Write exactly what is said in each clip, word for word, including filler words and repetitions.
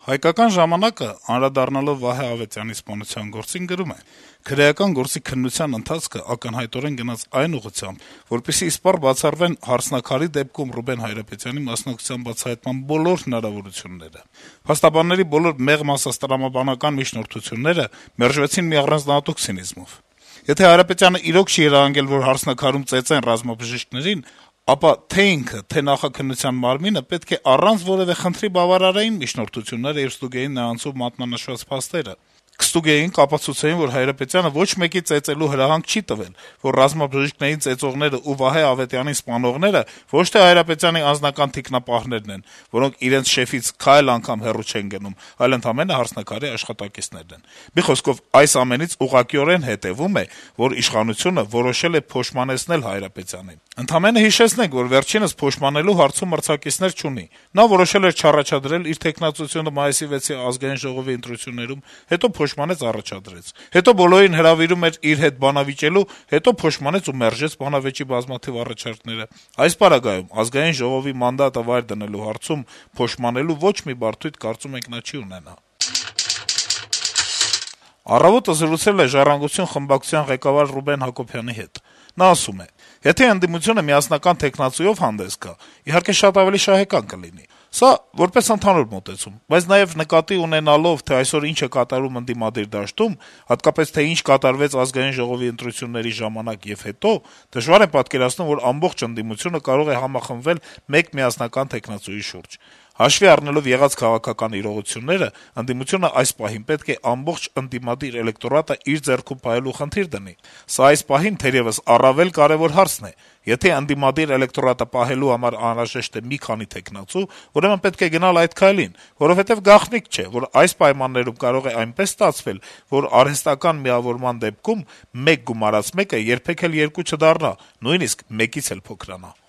Հայկական ժամանակը, անդրադառնալով Վահե Ավետյանի սպանության գործին, գրում է. - «Քրեական գործի քննության ընթացքը ակնհայտորեն գնաց այն ուղղությամբ, որպեսզի իսպառ բացառվեն «Հարսնաքար»-ի դեպքում Ռուբեն Հայրապետյանի մասնակցության բացահայտման բոլոր հնարավորությունները։ Փաստաբանների բոլոր մեղմ ասած տրամաբանական միջնորդությունները մերժվեցին մի առանձնահատուկ ցինիզմով։ Եթե Հայրապետյանը իրոք չի երևակայել, որ «Հարսնաքար»-ում ծեծեն ռազմաբժիշկներին, ապա թե ինքը, թե նախաքննության մարմինը պետք է առանց որեւէ խնդրի բավարարեին միջնորդությունները եւ ստուգեին նրանցով մատնանշված փաստերը, կստուգեին, կապացուցեին, որ Հայրապետյանը ոչ մեկի ծեծելու հրահանգ չի տվել, որ ռազմաբժիշկներին ծեծողները ու Վահե Ավետյանին սպանողները ոչ թե Հայրապետյանի անձնական թիկնապահներն են, որոնք իրենց շեֆից քայլ անգամ հեռու չեն գնում, այլ ընդամենը «Հարսնաքար»-ի աշխատակիցներն են։ Մի խոսքով, այս ամենից ուղղակիորեն հետեւում է, որ իշխանությունը որոշել է փոշմանեցնել Հայրապետյանին։ Ընդամենը հիշեցնենք, որ վերջինս փոշմանելու հարցում մրցակիցներ չունի։ Նա որոշել էր չառաջադրել իր թեկնածությունը մայիսի վեցի ազգային ժողովի ընտրություններում, հետո փոշմանեց առաջադրեց, հետո բոլորին հրավիրում էր իր հետ բանավիճելու, հետո փոշմանեց ու մերժեց բանավեճի բազմաթիվ առաջարկները։ Այս պարագայում ազգային ժողովի մանդատը վայր դնելու հարցում փոշմանելու ոչ մի բարդույթ, կարծում ենք, նա չի ունենա»։ «Առավոտ»-ը զրուցել է «Ժառանգություն» խմբակցության ղեկավար Ռուբեն Հակոբյանի հետ։ Նա ասում է. - «Եթե ընդդիմությունը միասնական թեկնածուով հանդես գա, իհարկե շատ ավելի շահեկան կլինի։ Սա որպես ընդհանուր մոտեցում, բայց նաեւ նկատի ունենալով, թե այսօր ինչ է կատարվում ընդդիմադիր դաշտում, հատկապես թե ինչ կատարվեց ազգային ժողովի ընտրությունների ժամանակ եւ հետո, դժվար է պատկերացնում, որ ամբողջ ընդդիմությունը կարող է համախմբվել մեկ միասնական թեկնածուի շուրջ։ Հաշվի առնելով եղած քաղաքական իրողությունները, ընդդիմությունը այս պահին պետք է ամբողջ ընդդիմադիր էլեկտորատը իր ձեռքում պահելու խնդիր դնի։ Սա այս պահին թերեւս առավել կարեւոր հարցն է։ Եթե ընդդիմադիր էլեկտորատը պահելու համար անհրաժեշտ է մի քանի թեկնածու, ուրեմն պետք է գնալ այդ քայլին, որովհետեւ գաղտնիք չէ, որ այս պայմաններում կարող է այնպես ստացվել, որ արհեստական միավորման դեպքում մեկ գումարած մեկը երբեք էլ երկու չդառնա, նույնիսկ մեկից էլ փոքրանա»։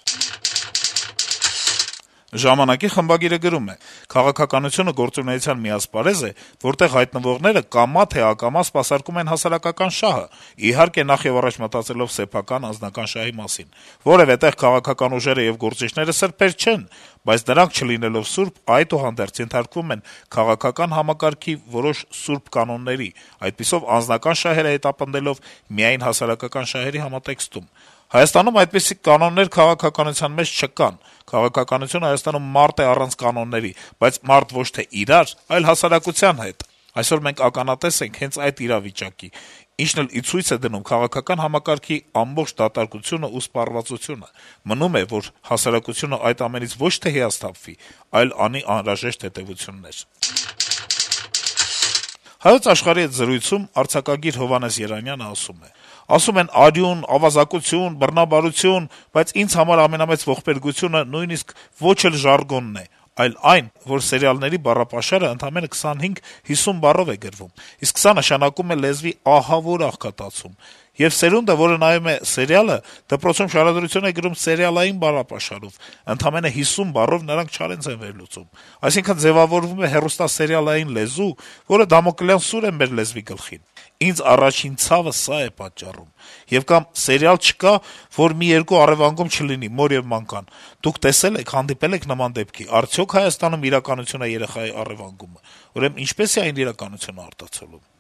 «Ժամանակ»-ի խմբագիրը գրում է. - «Քաղաքականությունը գործունեության մի ասպարեզ է, որտեղ հայտնվողները կամա թե ակամա սպասարկում են հասարակական շահը, իհարկե նախ եւ առաջ մտածելով սեփական անձնական շահի մասին։ Որեւէ տեղ քաղաքական ուժերը եւ գործիչները սրբեր չեն, բայց նրանք չլինելով սուրբ, այդուհանդերձ ենթարկվում են քաղաքական համակարգի որոշ սուրբ կանոնների, այդպիսով անձնական շահերը հետապնդելով միայն հասարակական շահերի համատեքստում։ Հայաստանում այդպիսի կանոններ քաղաքականության մեջ չկան։ Քաղաքականությունը Հայաստանում մարդ է առանց կանոնների, բայց մարդ ոչ թե իրար, այլ հասարակության հետ։ Այսօր մենք ականատես ենք հենց այդ իրավիճակի, ինչն էլ ի ցույց է դնում քաղաքական համակարգի ամբողջ դատարկությունն ու սպառվածությունը։ Մնում է, որ հասարակությունը այդ ամենից ոչ թե հիասթափվի, այլ անի անհրաժեշտ հետեւություններ»։ «Հայոց Աշխարհ»-ի հետ զրույցում արձակագիր Հովհաննես Երանյանը ասում է. - «Ասում են արյուն, ավազակություն, բռնաբարություն, բայց ինձ համար ամենամեծ ողբերգությունը նույնիսկ ոչ էլ ժարգոնն է, այլ այն, որ սերիալների բառապաշարը ընդամենը քսանհինգ-հիսուն բառով է գրվում, իսկ սա նշանակում է լեզվի ահավոր աղքատացում։ Եվ սերունդը, որը նայում է սերիալը, դպրոցում շարադրություն է գրում սերիալային բառապաշարով, ընդամենը հիսուն բառով նրանք չարենց են վերլուծում։ Այսինքն ձեւավորվում է հեռուստասերիալային լեզու, որը դամոկլյան սուր է մեր լեզվի գլխին։ Ինձ առաջին ցավը սա է պատճառում։ Եվ կամ սերիալ չկա, որ մի երկու առեւանգում չլինի մոր եւ մանկան։ Դուք տեսել եք, հանդիպել եք նման դեպքի, արդյոք Հայաստանում իրականություն է երեխայի առեւանգումը։ Ուրեմն ինչպե՞ս է այն իրականությունը արտացոլում»։